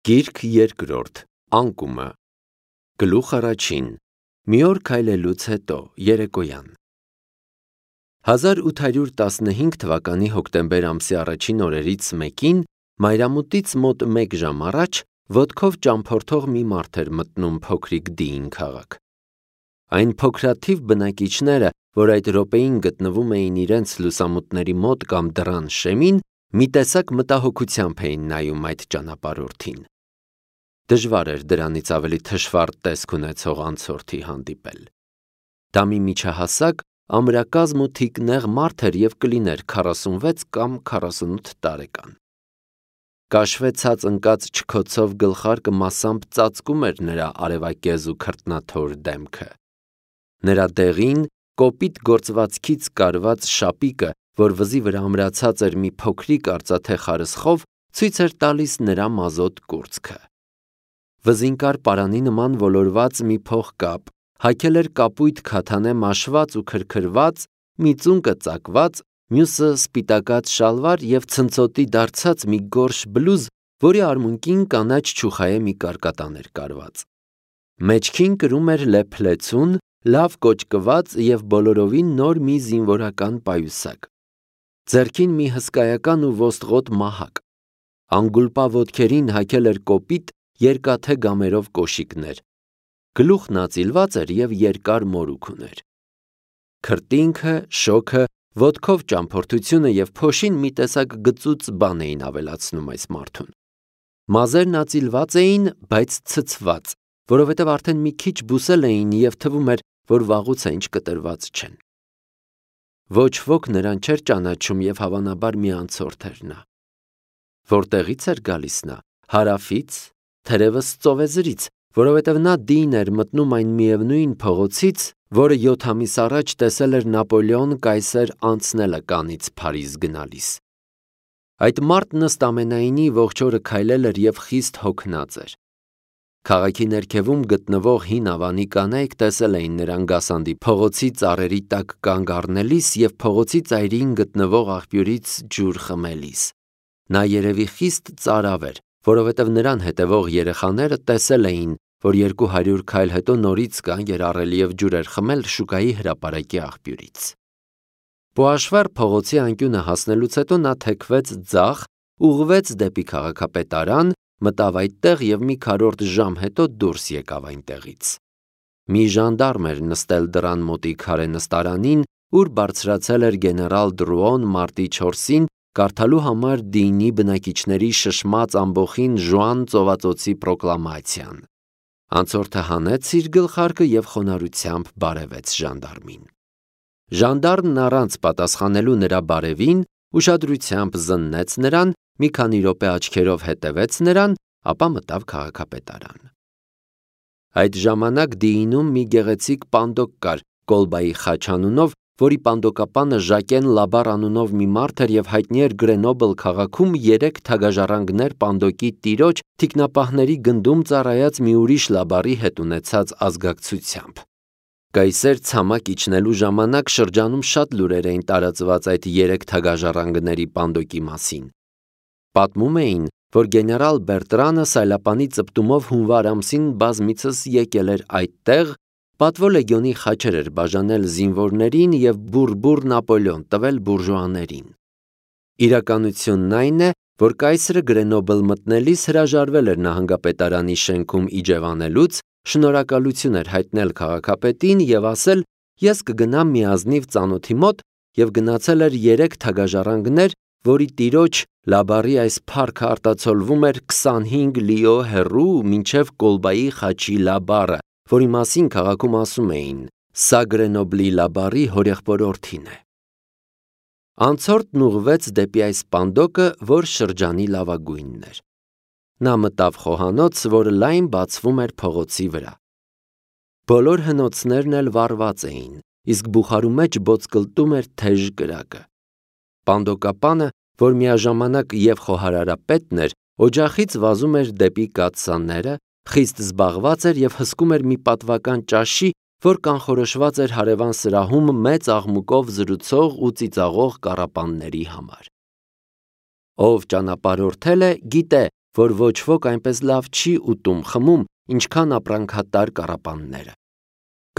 Գիրք երկրորդ, անկումը, գլուխ առաջին, մի օր քայլելուց հետո, երեկոյան։ 1815 թվականի հոկտեմբեր ամսի առաջին օրերից մեկին, մայրամուտից մոտ 1 ժամ առաջ, ոտքով ճամփորդող մի մարդ էր մտնում փոքրիկ Դիին քաղաք։ Այն փոքրաթիվ բնակիչները, որ այդ րոպեին գտնվում էին իրենց լուսամուտների մոտ կամ դռան շեմին, մի տեսակ մտահոգությամբ էին նայում այդ ճանապարհորդին։ Դժվար էր դրանից ավելի թշվառ տեսք ունեցող անցորդի հանդիպել։ Դա մի միջահասակ, ամրակազմ ու թիկնեղ մարդ էր և կլիներ 46 կամ 48 տարեկան։ Կաշվեցած ընկած չքոցով գլխարկը մասամբ ծածկում էր նրա արևակեզ ու քրտնաթոր դեմքը։ Նրա դեղին, կոպիտ գործվածքից կարված շապիկը, որ վզի վրա ամրացած էր մի փոքրիկ արծաթե խարսխով, ցույց էր տալիս նրա մազոտ կուրծքը։ Վզին կար պարանի նման ոլորված մի փողկապ, հագել էր կապույտ քաթանե մաշված ու քրքրված, մի ծունկը ծակված, մյուսը սպիտակած շալվար և ցնցոտի դարձած մի գորշ բլուզ, որի արմունկին կանաչ չուխայե մի կարկատան էր կարված։ Մեջքին կրում էր լեփլեցուն, լավ կոճկված և բոլորովին նոր մի զինվորական պայուսակ։ Ձեռքին մի հսկայական ու ոստղոտ մահակ։ Անգուլպա ոտքերին հագել էր կոպիտ, երկաթե գամերով կոշիկներ։ Գլուխն ածիլված էր և երկար մորուք ուներ։ Քրտինքը, շոգը, ոտքով ճամփորդությունը և փոշին մի տեսակ գծուծ բան էին ավելացնում այս մարդուն։ Մազերն ածիլված էին, բայց ցցված, որովհետև արդեն մի քիչ բուսել էին և թվում էր, որ վաղուց է ինչ կտրված չեն։ Ոչ ոք նրան չէր ճանաչում և հավանաբար մի անցորդ էր նա։ Որտեղից էր գալիս նա, հարավից, թերևս ծովեզրից, որովհետև նա Դիին էր մտնում այն միևնույն փողոցից, որը 7 ամիս առաջ տեսել էր Նապոլեոն կայսեր անցնելը Կանից Փարիզ գնալիս։ Այդ մարդն ըստ ամենայնի ողջ օրը քայլել էր և խիստ հոգնած էր։ Քաղաքի ներքևում գտնվող հին ավանի կանայք տեսել էին նրան գասանդի փողոցի ծառերի տակ կանգ առնելիս և փողոցի ծայրին գտնվող աղբյուրից ջուր խմելիս։ Նա երևի խիստ ծարավ էր, որովհետև նրան հետևող երեխաները տեսել էին, որ 200 քայլ հետո նորից կան երառել և ջուր էր խմել շուկայի հրապարակի աղբյուրից։ Պոաշվար փողոցի անկյունը հասնելուց հետո նա թեքվեց ձախ, ուղղվեց դեպի քաղաքապետարան, մտավ այդտեղ և մի քառորդ ժամ հետո դուրս եկավ այնտեղից։ Մի ժանդարմ էր նստել դռան մոտի քարե նստարանին, ուր բարձրացել էր գեներալ Դրուոն մարտի 4-ին կարդալու համար Դիինի բնակիչների շշմած ամբոխին Ժուան ծովածոցի պրոկլամացիան։ Անցորդը հանեց իր գլխարկը և խոնարհությամբ բարևեց ժանդարմին։ Ժանդարմն առանց պատասխանելու նրա բարևին, ուշադրությամբ զննեց նրան, մի քանի րոպե աչքերով հետևեց նրան, ապա մտավ քաղաքապետարան։ Այդ ժամանակ Դիինում մի գեղեցիկ պանդոկ կար Կոլբայի խաչ անունով, որի պանդոկապանը Ժակեն Լաբար անունով մի մարդ էր և հայտնի էր Գրենոբլ քաղաքում 3 թագաժառանգներ պանդոկի տիրոջ թիկնապահների գնդում ծառայած մի ուրիշ Լաբարի հետ ունեցած ազգակցությամբ։ Կայսեր ցամաք իջնելու ժամանակ շրջանում շատ լուրեր էին տարածված այդ 3 թագաժառանգների պանդոկի մասին։ Պատմում էին, որ գեներալ Բերտրանը սայլապանի ծպտումով հունվար ամսին բազմիցս եկել էր այդտեղ, պատվո լեգիոնի խաչեր էր բաժանել զինվորներին և բուռ Նապոլեոն տվել բուրժուաներին։ Իրականությունն այն է, որ կայսրը Գրենոբլ մտնելիս հրաժարվել էր նահանգապետարանի շենքում իջևանելուց, շնորհակալություն էր հայտնել քաղաքապետին և ասել. «Ես կգնամ մի ազնիվ ծանոթի մոտ» և գնացել էր 3 թագաժառանգներ, որի տիրոջ Լաբարի այս փառքը արտացոլվում էր 25 լիո հեռու մինչև Կոլբայի խաչի Լաբարը, որի մասին քաղաքում ասում էին. «Սա Գրենոբլի Լաբարի հորեղբորորդին է»։ Անցորդն ուղղվեց դեպի այս պանդոկը, որ շրջանի լավագույնն էր։ Նա մտավ խոհանոց, որը լայն բացվում էր փողոցի վրա։ Բոլոր հնոցներն էլ վառված էին, իսկ բուխարու մեջ բոցկլտում էր թեժ կրակը։ Պանդոկապանը, որ միաժամանակ և խոհարարապետն էր, օջախից վազում էր դեպի կաթսաները, խիստ զբաղված էր և հսկում էր մի պատվական ճաշի, որ կանխորոշված էր հարևան սրահում մեծ աղմուկով զրուցող ու ծիծաղող կառապանների համար։ Ով ճանապարհորդել է, գիտե, որ ոչ ոք այնպես լավ չի ուտում խմում, ինչքան ապրանքատար կառապանները։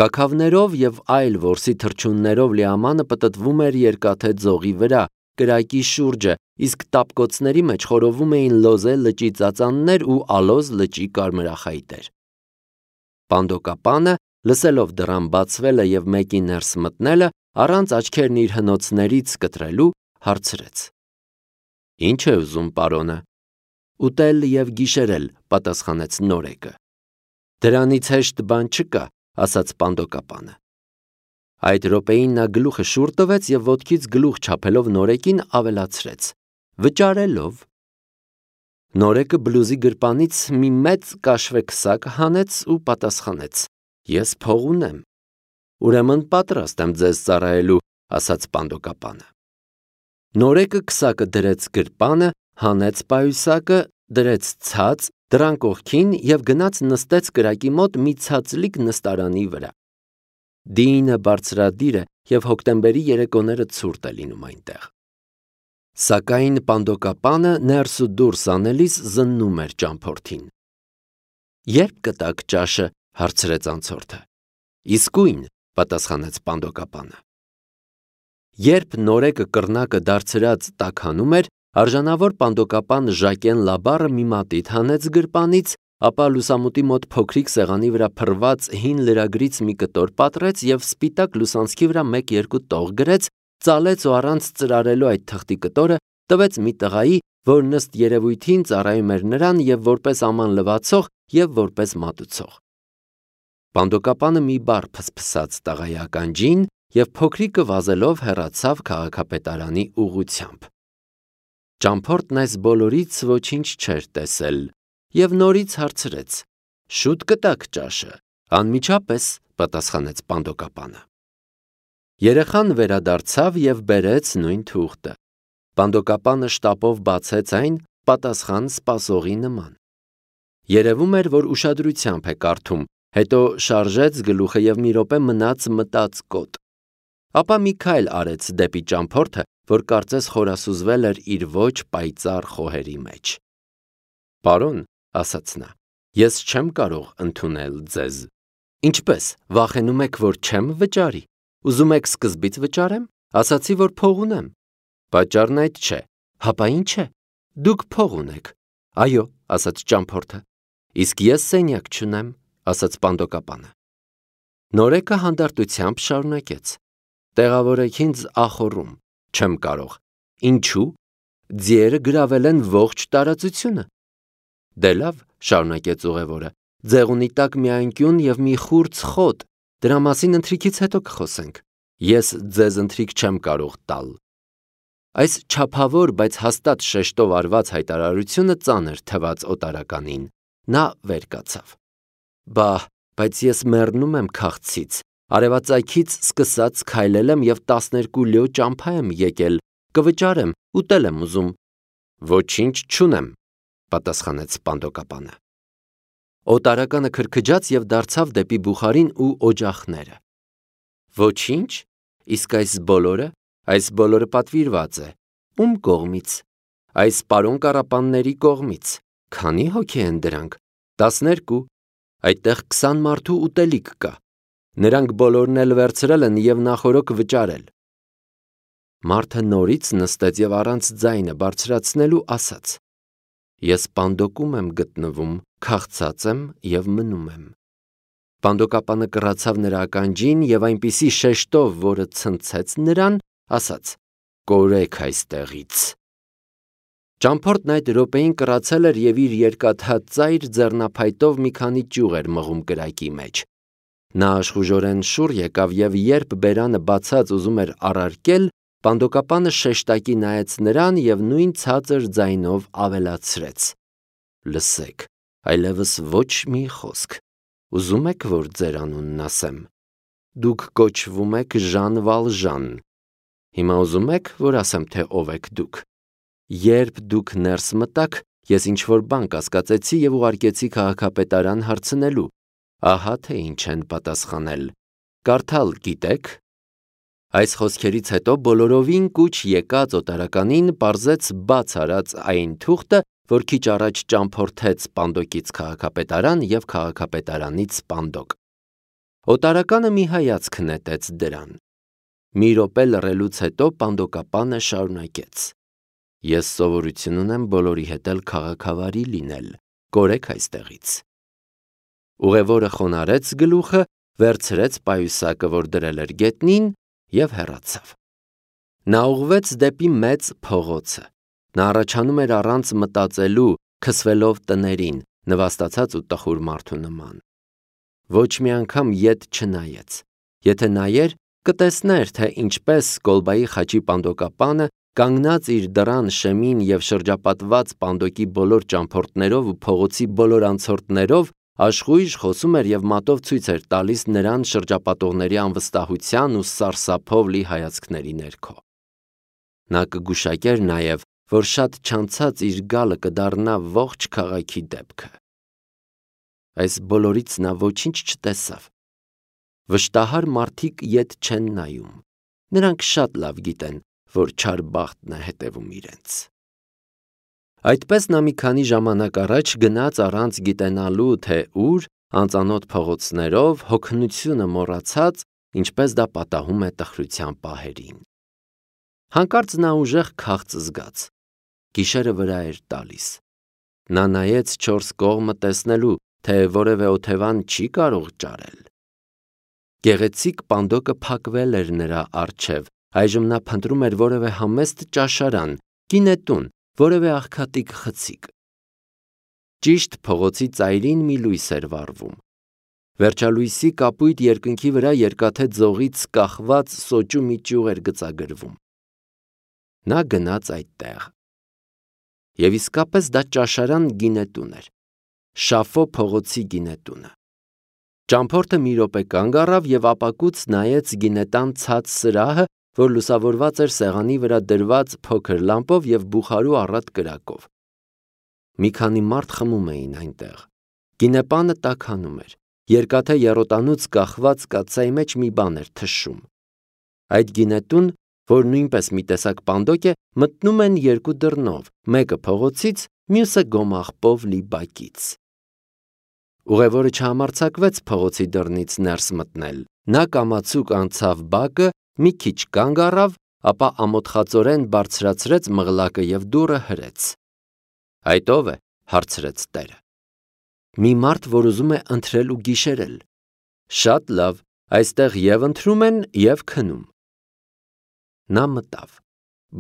Կաքավներով եւ այլ որսի թռչուններով լիամանը պտտվում էր երկաթե ձողի վրա, կրակի շուրջը, իսկ տապկոցների մեջ խորովում էին լոզե լճի ծածաններ ու ալոզ լճի կարմրախայտեր։ Պանդոկապանը, լսելով դռան բացվելը եւ մեկի ներս մտնելը, առանց աչքերն իր հնոցներից կտրելու, հարցրեց. «Ինչ է ուզում պարոնը»։ «Ուտել եւ գիշերել», պատասխանեց նորեկը։ «Դրանից հեշտ բան չկա», ասաց Պանդոկապանը։ Այդ րոպեին նա գլուխը շուռ տվեց եւ ոտքից գլուխ չափելով նորեկին ավելացրեց. «Վճարելով»։ Նորեկը բլուզի գրպանից մի մեծ կաշվե քսակ հանեց ու պատասխանեց. «Ես փող ունեմ»։ «Ուրեմն պատրաստ եմ ձեզ ծառայելու», ասաց Պանդոկապանը։ Նորեկը քսակը դրեց գրպանը, հանեց պայուսակը, դրեց ցած, դռան կողքին եւ գնաց նստեց կրակի մոտ մի ցածլիկ նստարանի վրա։ Դինը բարձրադիր է եւ հոկտեմբերի երեկոները ցուրտ է լինում այնտեղ։ Սակայն Պանդոկապանը ներս ու դուրս անելիս զննում էր ճամփորդին։ «Երբ կտաք ճաշը», հարցրեց անցորդը։ «Իսկույն», պատասխանեց Պանդոկապանը։ Երբ նորեկը կռնակը դարձրած տաքանում էր, արժանավոր Պանդոկապան Ժակեն Լաբառը մի մատիտ հանեց գրպանից, ապա լուսամուտի մոտ փոքրիկ սեղանի վրա փռված հին լրագրից մի կտոր պատռեց եւ սպիտակ լուսանցքի վրա 1-2 տող գրեց, ծալեց ու առանց ծրարելու այդ թղթի կտորը տվեց մի տղայի, որ ըստ երևույթին ծառայում էր նրան եւ որպես աման լվացող եւ որպես մատուցող։ Պանդոկապանը մի բառ փսփսաց տղայի ականջին եւ փոքրիկը վազելով հեռացավ քաղաքապետարանի ուղղությամբ։ Ճամփորդն այս բոլորից ոչինչ չէր տեսել եւ նորից հարցրեց. «Շուտ կտաք ճաշը»։ «Անմիջապես», պատասխանեց Պանդոկապանը։ Երեխան վերադարձավ եւ բերեց նույն թուղթը։ Պանդոկապանը շտապով բացեց այն, պատասխան սպասողի նման։ Երևում էր, որ ուշադրությամբ է կարդում, հետո շարժեց գլուխը եւ մի րոպե մնաց մտածկոտ։ Ապա մի քայլ արեց դեպի ճամփորդը, որ կարծես խորասուզվել էր իր ոչ պայծառ խոհերի մեջ։ «Պարոն», ասաց նա, «ես չեմ կարող ընդունել ձեզ»։ «Ինչպես, վախենում եք, որ չեմ վճարի։ Ուզում եք սկզբից վճարեմ, ասացի, որ փող ունեմ»։ «Պատճառն այդ չէ»։ «Հապա ինչ է»։ «Դուք փող ունեք»։ «Այո», ասաց ճամփորդը։ «Իսկ ես սենյակ չունեմ», ասաց Պանդոկապանը։ Նորեկը հանդարտությամբ շարունակեց. «Տեղավորեք ինձ ախոռում, չեմ կարող»։ «Ինչու»։ «Ձիերը գրավել են ողջ տարածությունը»։ «Դե լավ», շարունակեց ուղևորը, «ձեղ ունի տակ մի անկյուն եւ մի խուրձ խոտ, դրա մասին ընթրիքից հետո կխոսենք։ Ես ձեզ ընթրիք չեմ կարող տալ»։ Այս չափավոր, բայց հաստատ շեշտով արված հայտարարությունը ծանր թվաց օտարականին։ Նա վեր կացավ։ «Բա, բայց ես մեռնում եմ քաղցից, արևածագից սկսած քայլել եմ եւ 12 լյո ճամփա եմ եկել, կվճարեմ, ուտել եմ ուզում»։ «Ոչինչ չունեմ», պատասխանեց Պանդոկապանը։ Օտարականը քրքջաց եւ դարձավ դեպի բուխարին ու օջախները։ «Ոչինչ, իսկ այս բոլորը պատվիրված է։ Ում կողմից»։ «Այս պարոն կառապանների կողմից»։ «Քանի հոգի են դրանք»։ 12։ «Այդտեղ 20 մարդու ուտելիք կա։ Նրանք բոլորն էլ վերցրել են եւ նախօրոք վճարել»։ Մարդը նորից նստեց եւ առանց ձայնը բարձրացնելու ասաց. «Ես Պանդոկում եմ գտնվում, քաղցած եմ եւ մնում եմ»։ Պանդոկապանը կռացավ նրա ականջին եւ այնպիսի շեշտով, որը ցնցեց նրան, ասաց. «Կորեք այստեղից»։ Ճամփորդն այդ րոպեին կռացել էր եւ իր երկաթհատ ծայր ձեռնափայտով մի քանի ճյուղ էր մղում կրակի մեջ։ Նա աշխուժորեն շուռ եկավ եւ երբ բերանը բացած ուզում էր առարկել, Պանդոկապանը շեշտակի նայեց նրան եւ նույն ցածր ձայնով ավելացրեց. «Լսեք, այլևս ոչ մի խոսք։ Ուզում եք, որ ձեր անունն ասեմ։ Դուք կոչվում եք Ժան Վալժան։ Հիմա ուզում եք, որ ասեմ, թե ով եք դուք։ Երբ դուք ներս մտաք, ես ինչ-որ բան կասկածեցի եւ ուղարկեցի քաղաքապետարան հարցնելու։ Ահա թե ինչ են պատասխանել։ Կարդալ գիտեք»։ Այս խոսքերից հետո բոլորովին կուչ եկած օտարականին պարզեց բաց արած այն թուղթը որ քիչ առաջ ճամփորդեց Պանդոկից քաղաքապետարան և քաղաքապետարանից Պանդոկ։ Օտարականը մի հայացք նետեց դրան։ Մի րոպե լռելուց հետո Պանդոկապանը շարունակեց. «Ես սովորություն ունեմ բոլորի հետ էլ քաղաքավարի լինել, կորեք այստեղից»։ Ուղևորը խոնարհեց գլուխը, վերցրեց պայուսակը, որ դրել էր գետնին, և հեռացավ։ Նա ուղղվեց դեպի մեծ փողոցը։ Նա առաջանում էր առանց մտածելու, քսվելով տներին, նվաստացած ու տխուր մարդու նման։ Ոչ մի անգամ ետ չնայեց։ Եթե նայեր, կտեսներ, թե ինչպես Կոլբայի խաչի Պանդոկապանը, կանգնած իր դռան շեմին և շրջապատված Պանդոկի բոլոր ճամփորդներով ու փողոցի բոլոր անցորդներով, աշխույժ խոսում էր և մատով ցույց էր տալիս նրան շրջապատողների անվստահության ու սարսափով լի հայացքների ներքո։ Նա կգուշակեր նաև, որ շատ չանցած իր գալը կդառնա ողջ քաղաքի դեպքը։ Այս բոլորից նա ոչինչ չտեսավ։ Վշտահար մարդիկ ետ չեն նայում։ Նրանք շատ լավ գիտեն, որ չար բախտն է հետևում իրենց։ Այդպես նա մի քանի ժամանակ առաջ գնաց առանց գիտենալու, թե ուր, անծանոթ փողոցներով, հոգնությունը մոռացած, ինչպես դա պատահում է տխրության պահերին։ Հանկարծ նա ուժեղ քաղց զգաց։ Գիշերը վրա էր տալիս։ Նա նայեց չորս կողմը տեսնելու, թե որևէ օթևան չի կարող ճարել։ Գեղեցիկ Պանդոկը փակվել էր նրա առջև, այժմ նա փնտրում էր որևէ համեստ ճաշարան, գինետուն, որևէ աղքատիկ խցիկ։ Ճիշտ փողոցի ծայրին մի լույս էր վառվում։ Վերջալույսի կապույտ երկնքի վրա երկաթե ձողից կախված սոճու մի ճյուղ էր գծագրվում։ Նա գնաց այդտեղ։ Եվ իսկապես դա ճաշարան գինետուն էր։ Շաֆո փողոցի գինետունը։ Ճամփորդը մի րոպե կանգ առավ և ապակուց նայեց գինետան ցած սրահը, որ լուսավորված էր սեղանի վրա դրված փոքր լամպով և բուխարու առատ կրակով։ Մի քանի մարդ խմում էին այնտեղ։ Գինեպանը տաքանում էր։ Երկաթե եռոտանուց կախված կաթսայի մեջ մի բան էր թշում։ Այդ գինետուն, որ նույնպես մի տեսակ Պանդոկ է, մտնում են երկու դռնով, մեկը փողոցից, մյուսը գոմաղբով լի բակից։ Ուղևորը չհամարձակվեց փողոցի դռնից ներս մտնել։ Նա կամացուկ անցավ բակը, մի քիչ կանգ առավ, ապա ամոթխածորեն բարձրացրեց մղլակը և դուռը հրեց։ «Այդ ո՞վ է», հարցրեց տերը։ «Մի մարդ, որ ուզում է ընթրել ու գիշերել»։ «Շատ լավ, այստեղ և ընթրում են, և քնում»։ Նա մտավ։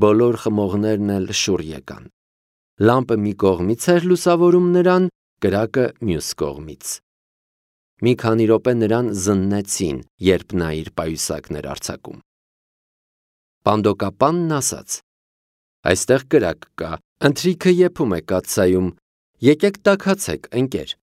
Բոլոր խմողներն էլ շուռ եկան։ Լամպը մի կողմից էր լուսավորում նրան, կրակը մյուս կողմից։ Մի քանի րոպե նրան զննեցին, երբ նա իր պայուսակն էր արձակում։ Պանդոկապանն ասաց. «Այստեղ կրակ կա, ընթրիքը եփում է կաթսայում, եկեք տաքացեք, ընկեր»։